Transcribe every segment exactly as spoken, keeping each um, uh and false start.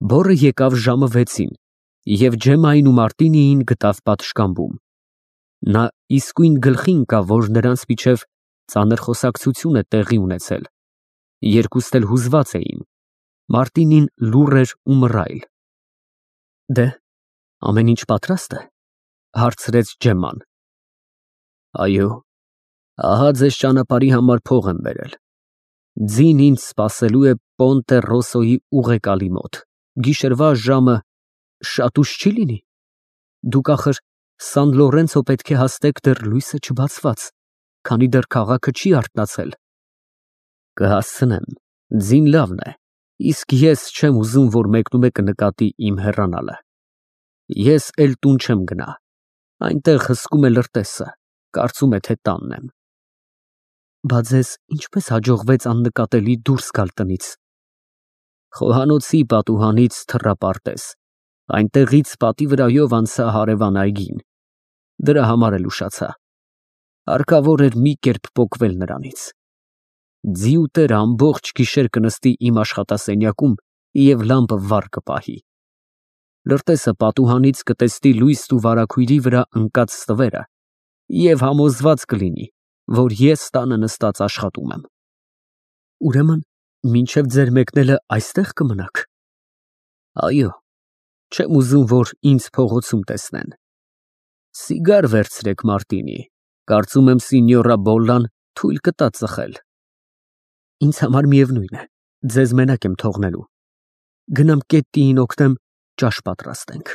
Բորը եկավ ժամը վեցին, և Ջեմմային ու Մարտինիին գտավ պատշգամբում. նա իսկույն գլխի ընկավ, որ նրանց միջև ծանր խոսակցություն է տեղի ունեցել. երկուստ էլ հուզված էին, Մարտինին լուռ էր ու մռայլ։ Դե՞, ամեն ինչ պատրաստ է, հարցրեց Ջեմման։ Այո, ահա ձեզ ճանապարհի համար փող եմ բերել։ Ձին ինձ սպասելու է Պոնտե Ռոսոյի ուղեկալի մոտ, գիշերվա ժամը շատ ուշ չի լինի։ Դուք ախր Սան Լորենցո պետք է հասնեք դեռ լույսը չբացված, քանի դեռ քաղաքը չի արթնացել։ Կհասցնեմ, ձին լավն է, իսկ ես չեմ ուզում, որ մեկնումեկը նկատի իմ հեռանալը։ Ես էլ տուն չեմ գնա, այնտեղ հսկում է լրտեսը, կարծում է, թե տանն եմ։ Բա ձեզ ինչպես հաջողվեց աննկատելի դուրս գալ տնից։ Խոհանոցի պատուհանից թռապարտես, այնտեղից պատի վրայով անցա հարևան այգին, դրա համար էլ ուշացա, հարկավոր էր մի կերպ պոկվել նրանից։ Ձիուտերը ամբողջ գիշեր կնստի իմ աշխատասենյակում և լամպը վառ կպահի։ Լրտեսը պատուհանից կտեսնի լույսն ու վարագույրի վրա ընկած ստվերը և համոզված կլինի, որ ես տանը նստած աշխատում եմ։ Ուրեմն մինչև ձեր մեկնելը այստեղ կմնաք։ Այո, չեմ ուզում, որ ինձ փողոցում տեսնեն։ Սիգար վերցրեք, Մարտինի, կարծում եմ սինյորա Բոլլան թույլ կտա ծխել։ Ինձ համար միևնույն է, ձեզ մենակ եմ թողնելու։ Գնամ Կետտիին օգնեմ, ճաշ պատրաստենք։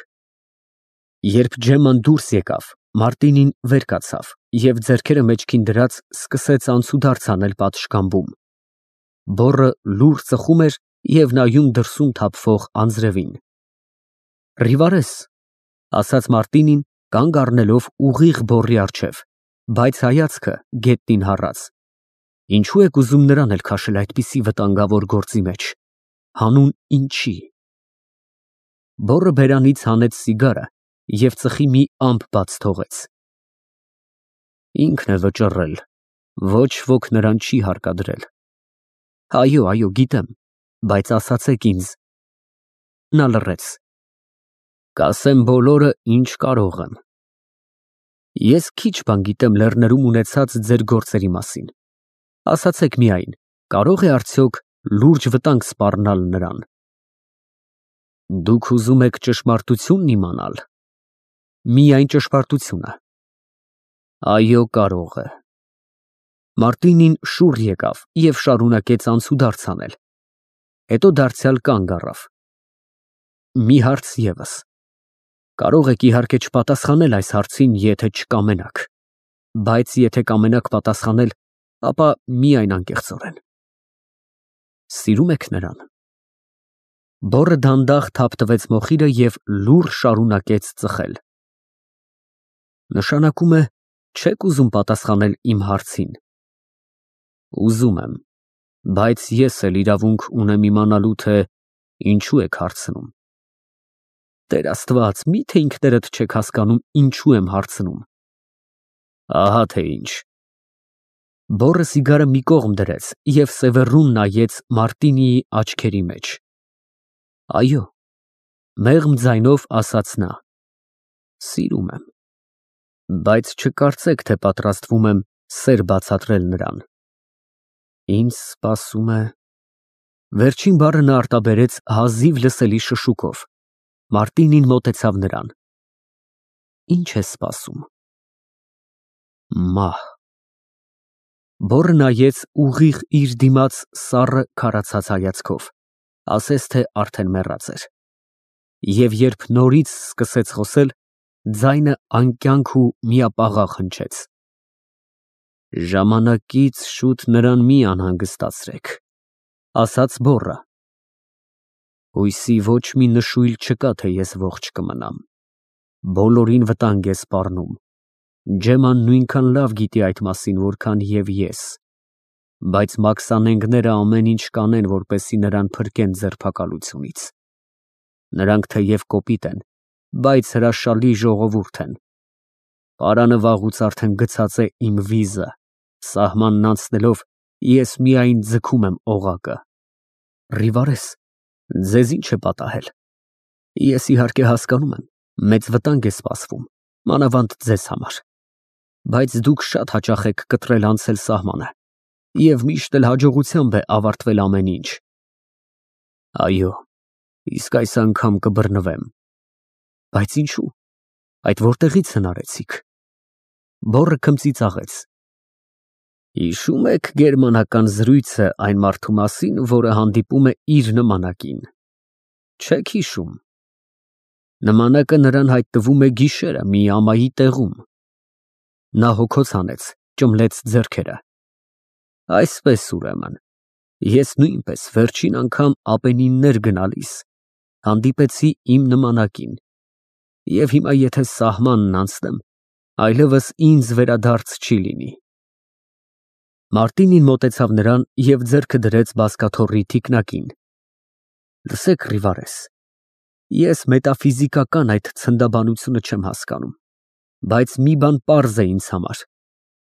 Երբ Ջեմման դուրս եկավ, Մարտինին վեր կացավ և ձեռքերը մեջքին դրած սկսեց անցուդարձ անել պատշգամբում։ Բոռը լուռ ծխում էր և նայում դրսում թափվող անձրևին։ Ռիվարես, ասաց Մարտինին, կանգ առնելով ուղիղ բոռի առջև, բայց հայացքը գետնին հառած։ Ինչու եք ուզում նրան էլ քաշել այդպիսի վտանգավոր գործի մեջ, հանուն ինչի։ Բոռը բերանից հանեց սիգարը և ծխի մի ամպ բաց թողեց։ Ինքն է վճռել, ոչ ոք նրան չի հարկադրել։ Այո, այո, գիտեմ, բայց ասացեք ինձ։ Նա լռեց։ Կասեմ բոլորը, ինչ կարող եմ։ Ես քիչ բան գիտեմ Լեռներում ունեցած ձեր գործերի մասին։ Ասացեք միայն, կարո՞ղ է արդյոք լուրջ վտանգ սպառնալ նրան։ Դուք ուզում եք ճշմարտությունն իմանալ։ Միայն ճշմարտությունը։ Այո, կարող է։ Մարտինին շուռ եկավ և շարունակեց անցուդարձ անել։ Հետո դարձյալ կանգ առավ։ Մի հարց ևս։ Կարող եք իհարկե չպատասխանել այս հարցին, եթե չկամենաք, բայց եթե կամենաք պատասխանել, ապա միայն անկեղծորեն։ Սիրում եք նրան։ Բոռը դանդաղ թափտվեց մոխիրը և լուռ շարունակեց ծխել։ Նշանակում է, չեք ուզում պատասխանել իմ հարցին։ Ուզում եմ, բայց ես էլ իրավունք ունեմ իմանալու, թե ինչու եք հարցնում։ Տեր Աստված, մի՞թե ինքներդ չեք հասկանում, ինչու եմ հարցնում։ Ահա թե ինչ։ Բոռը սիգարը մի կողմ դրեց և սևեռուն նայեց Մարտինիի աչքերի մեջ։ Այո, մեղմ ձայնով ասաց նա։ Սիրում եմ, բայց չկարծեք, թե պատրաստվում եմ սեր բացատրել նրան։ Ինձ սպասում է… Վերջին բառը նա արտաբերեց հազիվ լսելի շշուկով։ Մարտինին մոտեցավ նրան։ Ինչ է սպասում։ Մահ։ Բոռը նայեց ուղիղ իր դիմաց սառը քարացած հայացքով, ասես թե արդեն մեռած էր։ Եվ երբ նորից սկսեց խոսել, ձայնը անկյանք ու միապաղաղ հնչեց։ Ժամանակից շուտ նրան մի անհանգստացրեք, ասաց բոռը։ Հույսի ոչ մի նշույլ չկա, թե ես ողջ կմնամ։ Բոլորին վտանգ է սպառնում։ Ջեմման նույնքան լավ գիտի այդ մասին, որքան և ես, բայց մաքսանենգները ամեն ինչ կանեն, որպեսզի նրան փրկեն ձերբակալությունից։ Նրանք թեև կոպիտ են, բայց հրաշալի ժողովուրդ են։ Պարանը վաղուց արդեն գցած է իմ վիզը, սահմանն անցնելով ես միայն ձգում եմ օղակը։ Ռիվարես, Ձեզ ինչ է պատահել։ Ես իհարկե հասկանում եմ, մեծ վտանգ է սպասվում, մանավանդ ձեզ համար, բայց դուք շատ հաճախ եք կտրել անցել սահմանը և միշտ էլ հաջողությամբ է ավարտվել ամեն ինչ։ Այո, իսկ այս անգամ կբռնվեմ։ Բայց ինչու։ Այդ որտեղից հնարեցիք։ Բոռը քմծիծաղեց։ Հիշում եք գերմանական զրույցը այն մարդու մասին, որը հանդիպում է իր նմանակին։ Չեք հիշում։ Նմանակը նրան հայտնվում է գիշերը մի ամայի տեղում։ Նա հոգոց հանեց, ճմլեց ձեռքերը։ Այսպես ուրեմն, ես նույնպես վերջին անգամ Ապենիններ գնալիս հանդիպեցի իմ նմանակին, և հիմա եթե սահմանն անցնեմ, այլևս ինձ վերադարձ չի լինի։ Մարտինին մոտեցավ նրան և ձեռքը դրեց բազկաթոռի թիկնակին։ Լսեք, Ռիվարես, ես մետաֆիզիկական այդ ցնդաբանությունը չեմ հասկանում, բայց մի բան պարզ է ինձ համար.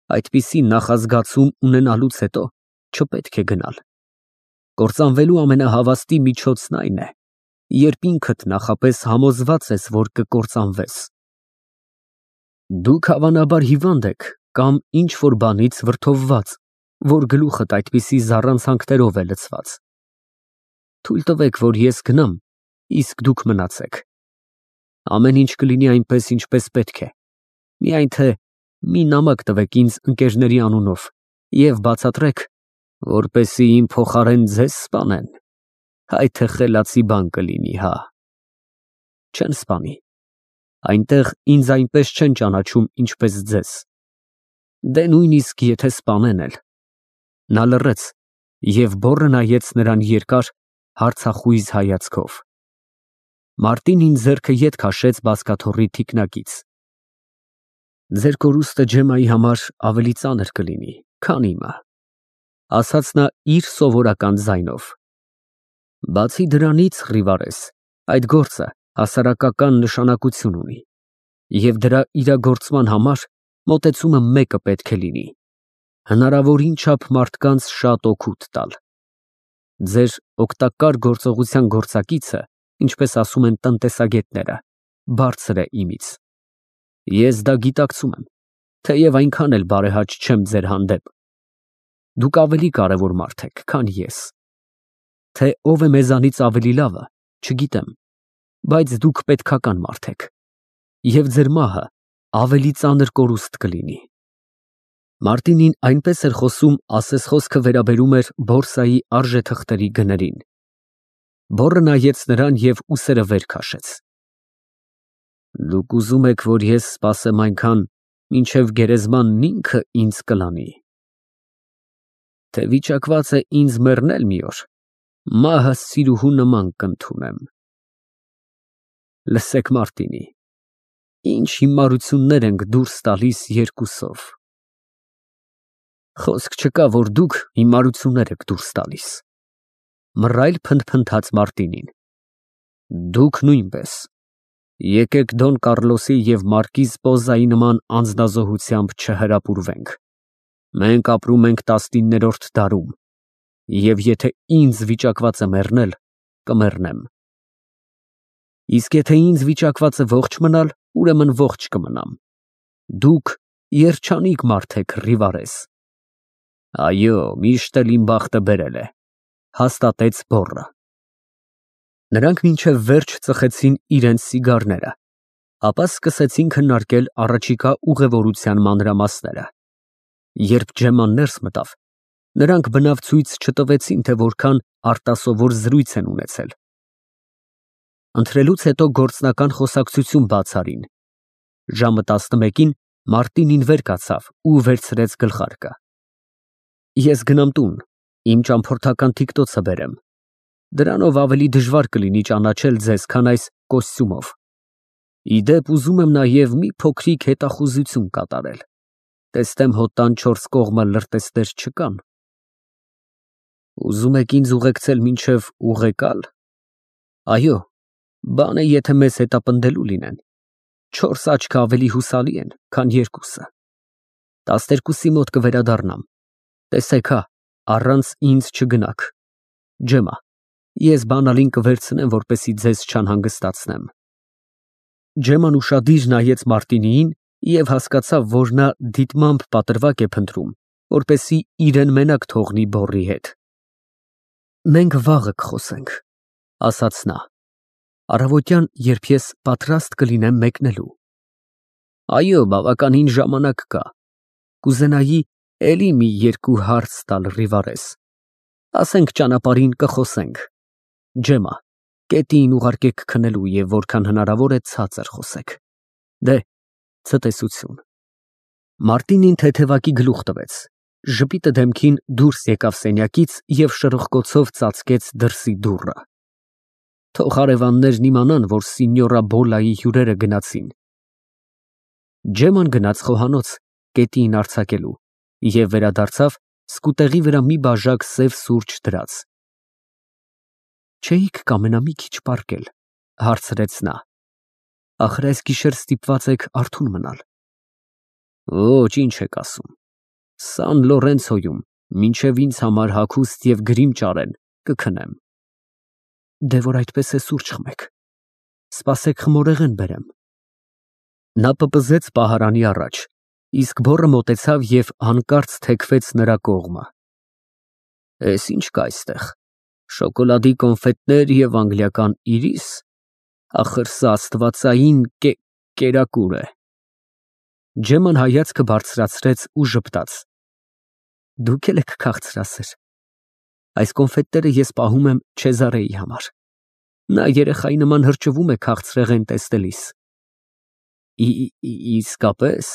այդպիսի նախազգացում ունենալուց հետո չպետք է գնալ։ Կործանվելու ամենահավաստի միջոցն այն է, երբ ինքդ նախապես համոզված ես, որ կկործանվես։ Դուք հավանաբար հիվանդ եք կամ ինչ-որ բանից վրդովված, որ գլուխդ այդպիսի զառանցանքներով է լցված։ Թույլ տվեք, որ ես գնամ, իսկ դուք մնացեք։ Ամեն ինչ կլինի այնպես, ինչպես պետք է։ Միայն թե մի նամակ տվեք ինձ ընկերների անունով և բացատրեք, որպեսզի իմ փոխարեն ձեզ սպանեն, այ թե խելացի բան կլինի, հա։ Չեն սպանի։ Այնտեղ ինձ այնպես չեն ճանաչում, ինչպես ձեզ։ Դե նույնիսկ եթե սպանեն էլ։ Նա լռեց և բոռը նայեց նրան երկար, հարցախույզ հայացքով։ Մարտինին ձեռքը ետ քաշեց բազկաթոռի թիկնակից։ Ձեր կորուստը Ջեմայի համար ավելի ծանր կլինի, քան իմը, ասաց նա իր սովորական ձայնով։ Բացի դրանից, Ռիվարես, այդ գործը հասարակական նշանակություն ունի, և դրա իրագործման համար մոտեցումը մեկը պետք է լինի. հնարավորին չափ մարդկանց շատ օգուտ տալ։ Ձեր օգտակար գործողության գործակիցը, ինչպես ասում են տնտեսագետները, բարձր է իմից։ Ես դա գիտակցում եմ, թեև այնքան էլ բարեհաճ չեմ ձեր հանդեպ։ Դուք ավելի կարևոր մարդ եք, քան ես։ Թե ով է մեզանից ավելի լավը, չգիտեմ, բայց դուք պետքական մարդ եք, և ձեր մահը ավելի ծանր կորուստ կլինի։ Մարտինին այնպես էր խոսում, ասես խոսքը վերաբերում էր բորսայի արժեթղթերի գներին։ Բոռը նայեց նրան և ուսերը վեր քաշեց։ Դուք ուզում եք, որ ես սպասեմ այնքան, մինչև գերեզմանն ինքը ինձ կլանի։ Թե վիճակված է ինձ մեռնել մի օր, մահը սիրուհու նման կընդունեմ։ Լսեք, Մարտինի, ինչ հիմարություններ ենք դուրս տալիս երկուսով։ Խոսք չկա, որ դուք հիմարություններ եք դուրս տալիս, մռայլ փնթփնթաց Մարտինին։ Դուք նույնպես։ Եկեք Դոն Կառլոսի և մարկիզ Պոզայի նման անձնազոհությամբ չհրապուրվենք։ Մենք ապրում ենք տասնիններորդ դարում, և եթե ինձ վիճակված է մեռնել, կմեռնեմ։ Իսկ եթե ինձ վիճակված է ողջ մնալ, ուրեմն ողջ կմնամ։ Դուք երջանիկ մարդ եք, Ռիվարես։ Այո, միշտ էլ իմ բախտը բերել է, հաստատեց բոռը։ Նրանք մինչև վերջ ծխեցին իրենց սիգարները, ապա սկսեցին քննարկել առաջիկա ուղևորության մանրամասները։ Երբ Ջեման ներս մտավ, նրանք բնավ ցույց չտվեցին, թե որքան արտասովոր զրույց են ունեցել։ Ընթրելուց հետո գործնական խոսակցություն բաց արին։ Ժամը տասնմեկին Մարտինին վեր կացավ ու վերցրեց գլխարկը։ Ես գնամ տուն, իմ ճամփորդական թիկտոցը բերեմ։ Դրանով ավելի դժվար կլինի ճանաչել ձեզ, քան այս կոստյումով։ Ի դեպ, ուզում եմ նաև մի փոքրիկ հետախուզություն կատարել։ Տեսնեմ հոտան չորս կողմը լրտեսներ չկան։ Ուզում եք ինձ ուղեկցել մինչև Ուղեկալ։ Այո, բան է, եթե մեզ հետապնդելու լինեն։ Չորս աչքը ավելի հուսալի են, քան երկուսը։ Տասներկուսի մոտ կվերադառնամ։ Տեսեք հա, առանց ինձ չգնաք։ Ջեմա։ Ես բանալին կվերցնեմ, որպեսզի ձեզ չանհանգստացնեմ։ Ջեման ուշադիր նայեց Մարտինիին և հասկացավ, որ նա դիտմամբ պատրվակ է փնտրում, որպեսզի իրեն մենակ թողնի բոռի հետ։ Մենք վաղը կխոսենք, ասաց նա, առավոտյան, երբ ես պատրաստ կլինեմ մեկնելու։ Այո, բավականին ժամանակ կա։ Կուզենայի էլի մի երկու հարց տալ Ռիվարես։ Ասենք ճանապարհին կխոսենք։ Ջեմա, կետին ուղարկեք քնելու և որքան հնարավոր է ցածր խոսեք։ Դե, ցտեսություն։ Մարտինին թեթևակի գլուխ տվեց, ժպիտը դեմքին դուրս եկավ սենյակից և շրխկոցով ծածկեց դրսի դուռը։ Թող հարևաններն իմանան, որ սինյորա Բոլայի հյուրերը գնացին։ Ջեման գնաց խոհանոց կետին արձակելու և վերադարձավ սկուտեղի վրա մի բաժակ սև սուրճ դրած։ Չէի՞ք կամենա մի քիչ պառկել, հարցրեց նա։ Ախր այս գիշեր ստիպված եք արթուն մնալ։ Ոչ, ինչ եք ասում։ Սան Լորենցոյում մինչև ինձ համար հագուստ և գրիմ ճարեն, կքնեմ։ Դե որ այդպես է, սուրճ խմեք։ Սպասեք խմորեղեն բերեմ։ Նա պպզեց պահարանի առաջ, իսկ բոռը մոտեցավ և հանկարծ թեքվեց նրա կողմը։ Էս ինչ կա այստեղ։ Շոկոլադի կոնֆետներ և անգլիական իրիս, ախր սա աստվածային կերակուր է։ Ջեման հայացքը բարձրացրեց ու ժպտաց։ Դուք էլ եք քաղցրասեր։ Այս կոնֆետները ես պահում եմ Չեզարեի համար։ Նա երեխայի նման հրճվում է քաղցրեղեն տեսնելիս։ Իսկապես։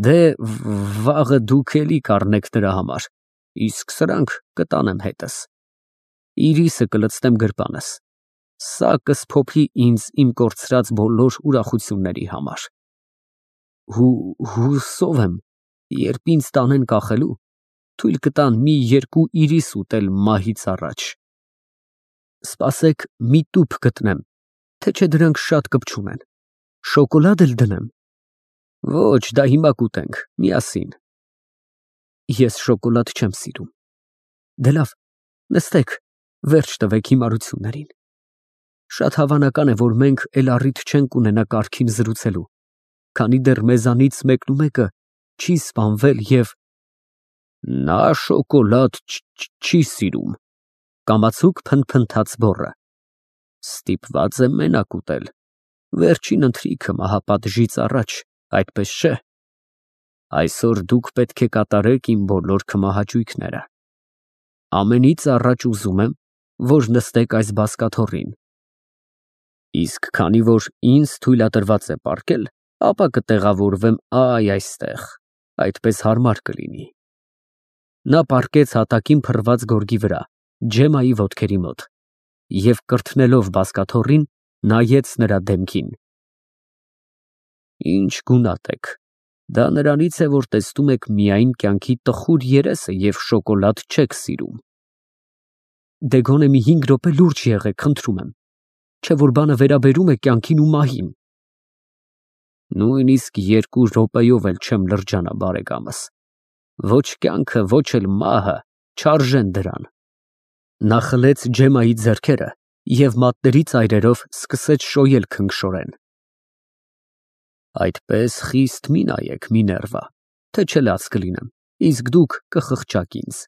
Դե վաղը դուք էլի կառնեք նրա համար, իսկ սրանք կտանեմ հետս։ Իրիսը կլցնեմ գրպանս։ Սա կսփոփի ինձ իմ կորցրած բոլոր ուրախությունների համար։ Հուսով եմ, երբ ինձ տանեն կախելու, թույլ կտան մի երկու իրիս ուտել մահից առաջ։ Սպասեք մի տուփ գտնեմ, թե չէ դրանք շատ կպչուն են։ Շոկոլադ էլ դնեմ։ Ոչ, դա հիմա կուտենք, միասին։ Ես շոկոլադ չեմ սիրում։ Դե լավ, նստեք, վերջ տվեք հիմարություններին։ Շատ հավանական է, որ մենք էլ առիթ չենք ունենա կարգին զրուցելու, քանի դեռ մեզանից մեկն ու մեկը չի սպանվել և… Նա շոկոլադ չի սիրում, կամացուկ փնթփնթաց բոռը։ Ստիպված եմ մենակ ուտել։ Վերջին ընթրիքը մահապատժից առաջ, այդպես չէ։ Այսօր դուք պետք է կատարեք իմ բոլոր քմահաճույքները։ Ամենից առաջ ուզում եմ, որ նստեք այս բազկաթոռին։ Իսկ քանի որ ինձ թույլատրված է պառկել, ապա կտեղավորվեմ այ այստեղ, այդպես հարմար կլինի։ Նա պառկեց հատակին փռված գորգի վրա, Ջեմայի ոտքերի մոտ, և կրթնելով բազկաթոռին, նայեց նրա դեմքին։ Ինչ գունատ եք, դա նրանից է, որ տեսնում եք միայն կյանքի տխուր երեսը և շոկոլադ չեք սիրում։ Դե գոնե մի հինգ րոպե լուրջ եղեք, խնդրում եմ, չէ որ բանը վերաբերում է կյանքին ու մահին։ Նույնիսկ երկու րոպեով էլ չեմ լրջանա, բարեկամս։ Ոչ կյանքը, ոչ էլ մահը չարժեն դրան։ Նա խլեց Ջեմայի ձեռքերը և մատների ծայրերով սկսեց շոյել քնքշորեն։ Այդպես խիստ մի նայեք, Միներվա, թե չէ լաց կլինեմ, իսկ դուք կխղճաք ինձ։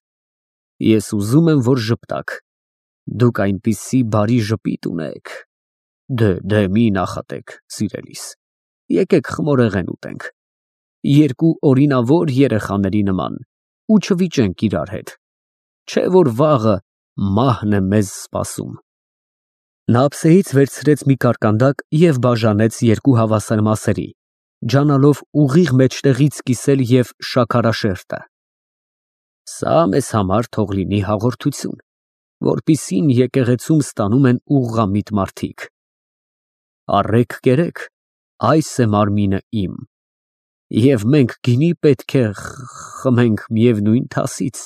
Ես ուզում եմ, որ ժպտաք։ Դուք այնպիսի բարի ժպիտ ունեք։ Դե, դե մի նախատեք, սիրելիս։ Եկեք խմորեղեն ուտենք։ Երկու օրինավոր երեխաների նման ու չվիճենք իրար հետ։ Չէ որ վաղը մահն է մեզ սպասում։ Նա ափսեից վերցրեց մի կարկանդակ և բաժանեց երկու հավասար մասերի, ջանալով ուղիղ մեջտեղից կիսել և շաքարաշերտը։ Սա մեզ համար թող լինի հաղորդություն, որպիսին եկեղեցում ստանում են ուղղամիտ մարդիկ։ Առեք կերեք, այս է մարմինը իմ։ Եվ մենք գինի պետք է խմենք միևնույն թասից։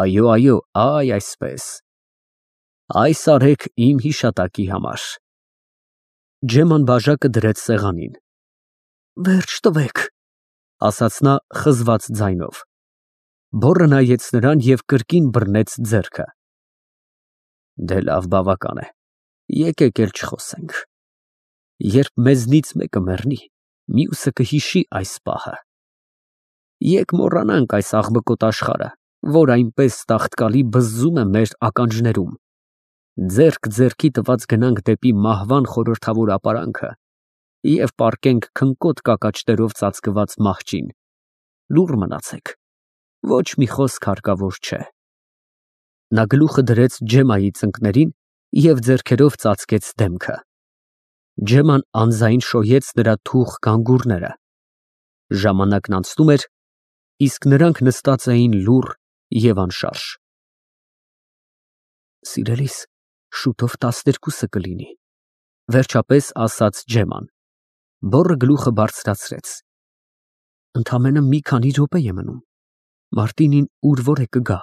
Այո, այո, այ այսպես։ Այս արեք իմ հիշատակի համար։ Ջեման բաժակը դրեց սեղանին։ Վերջ տվեք, ասաց նա խզված ձայնով։ Բոռը նայեց նրան և կրկին բռնեց ձեռքը։ Դե լավ, բավական է։ Եկեք էլ չխոսենք։ Երբ մեզնից մեկը մեռնի, մյուսը կհիշի այս պահը։ Եկ մոռանանք այս աղմկոտ աշխարհը, որ այնպես տաղտկալի բզզում է մեր ականջներում։ Ձեռք ձեռքի տված գնանք դեպի մահվան խորհրդավոր ապարանքը և պառկենք քնկոտ կակաճներով ծածկված մահճին։ Լուռ մնացեք, ոչ մի խոսք հարկավոր չէ։ Նա գլուխը դրեց Ջեմայի ծնկներին և ձեռքերով ծածկեց դեմքը։ Ջեման անձայն շոյեց նրա թուխ գանգուրները։ Ժամանակն անցնում էր, իսկ նրանք նստած էին լուռ և անշարժ։ Սիրելիս, շուտով տասներկուսը կլինի, վերջապես ասաց Ջեման, բոռը գլուխը բարձրացրեց։ Ընդամենը մի քանի րոպե է մնում, Մարտինին ուր որ է կգա։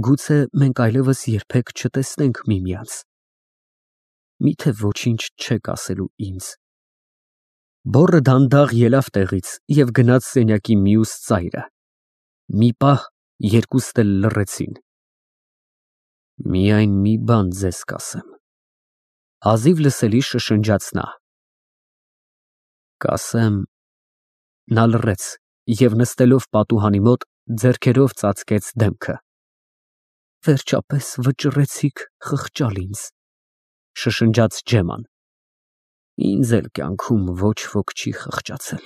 Գուցե մենք այլևս երբեք չտեսնենք միմյանց։ Միթե ոչինչ չեք ասելու ինձ։ Բոռը դանդաղ ելավ տեղից և գնաց սենյակի մյուս ծայրը։ Մի պահ երկուստ էլ լռեցին։ Միայն մի բան ձեզ կասեմ, հազիվ լսելի շշնջաց նա։ Կասեմ… Նա լռեց և նստելով պատուհանի մոտ ձեռքերով ծածկեց դեմքը։ Վերջապես վճռեցիք խղճալ ինձ, շշնջաց Ջեման։ Ինձ էլ կյանքում ոչ ոք չի խղճացել։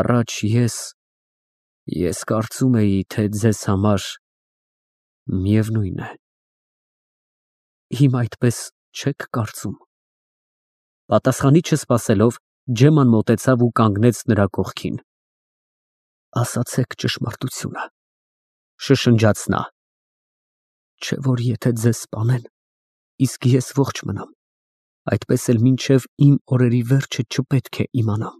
Առաջ ես… ես կարծում էի, թե ձեզ համար միևնույն է։ Հիմա այդպես չեք կարծում։ Պատասխանի չսպասելով, Ջեման մոտեցավ ու կանգնեց նրա կողքին։ Ասացեք ճշմարտությունը, շշնջաց նա։ Չէ որ եթե ձեզ սպանեն, իսկ ես ողջ մնամ, այդպես էլ մինչև իմ օրերի վերջը չպետք է իմանամ։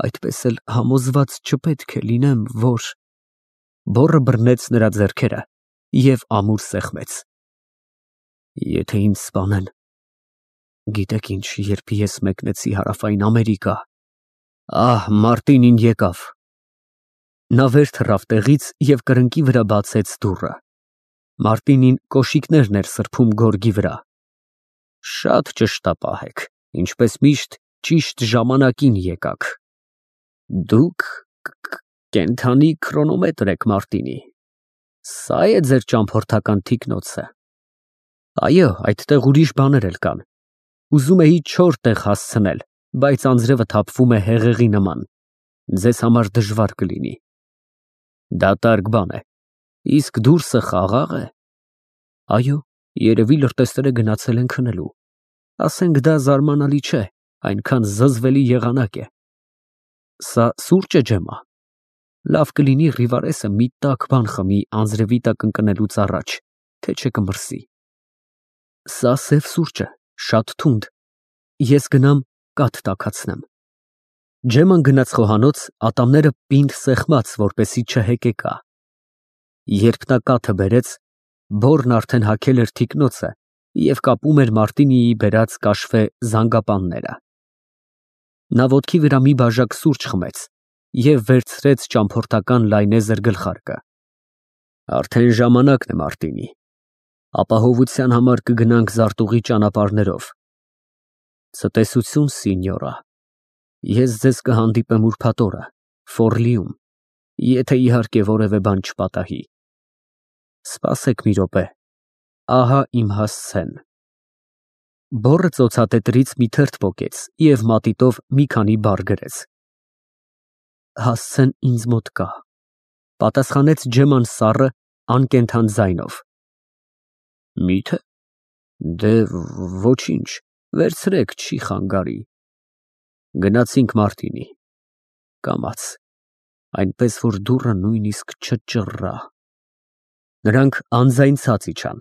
Այդպես էլ համոզված չպետք է լինեմ, որ… Բոռը բռնեց նրա ձեռքերը և ամուր սեղմեց։ Եթե ինձ սպանեն… Գիտեք ինչ, երբ ես մեկնեցի Հարավային Ամերիկա… Ահ, Մարտինին եկավ։ Նա վեր թռավ տեղից և կրկնակի վրա բացեց դուռը։ Մարտինին կոշիկներն էր սրբում գորգի վրա։ Շատ ճշտապահ եք, ինչպես միշտ ճիշտ ժամանակին եկաք։ Դուք կենդանի քրոնոմետր եք, Մարտինի։ Սա է ձեր ճամփորդական թիկնոցը։ Այո, այդտեղ ուրիշ բաներ էլ կան։ Ուզում էի չոր տեղ հասցնել, բայց անձրևը թափվում է հեղեղի նման։ Ձեզ համար դժվար կլինի։ Դատարկ բան է։ Իսկ դուրսը խաղաղ է։ Այո, երևի լրտեսները գնացել են քնելու։ Ասենք դա զարմանալի չէ, այնքան զզվելի եղանակ է։ Սա սուրճ է, Ջեմա։ Լավ կլինի Ռիվարեսը մի տաք բան խմի անձրևի տակ ընկնելուց առաջ, թե չէ կմրսի։ Սա սև սուրճ է, շատ թունդ։ Ես գնամ կաթ տաքացնեմ։ Ջեման գնաց խոհանոց, ատամները պինդ սեղմած, որպեսզի չհեկեկա։ Երբ նա կաթը բերեց, բոռն արդեն հագել էր թիկնոցը և կապում էր Մարտինիի բերած կաշվե զանգապանները։ Նա ոտքի վրա մի բաժակ սուրճ խմեց և վերցրեց ճամփորդական լայնեզր գլխարկը։ Արդեն ժամանակն է, Մարտինի։ Ապահովության համար կգնանք զարտուղի ճանապարհներով։ Ցտեսություն, սինյորա։ Ես ձեզ կհանդիպեմ ուրբաթ օրը, Ֆորլիում, եթե իհարկե որևէ բան չպատահի։ Սպասեք մի րոպե, ահա իմ հասցեն։ Բոռը ծոցատետրից մի թերթ պոկեց և մատիտով մի քանի բառ գրեց։ Հասցեն ինձ մոտ կա, պատասխանեց Ջեման սառը, անկենդան ձայնով։ Մի՞թե։ Դե ոչինչ, վերցրեք, չի խանգարի։ Գնացինք, Մարտինի։ Կամաց, այնպես որ դուռը նույնիսկ չճռռա։ Նրանք անձայն ցած իջան։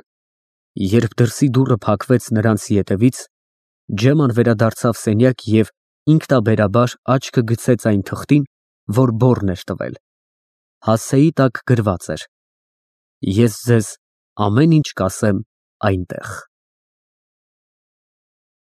Երբ դրսի դուռը փակվեց նրանց ետևից, Ջեման վերադարձավ սենյակ և ինքնաբերաբար աչքը գցեց այն թղթին, որ բոռն էր տվել։ Հասցեի տակ գրված էր. Ես ձեզ ամեն ինչ կասեմ այնտեղ։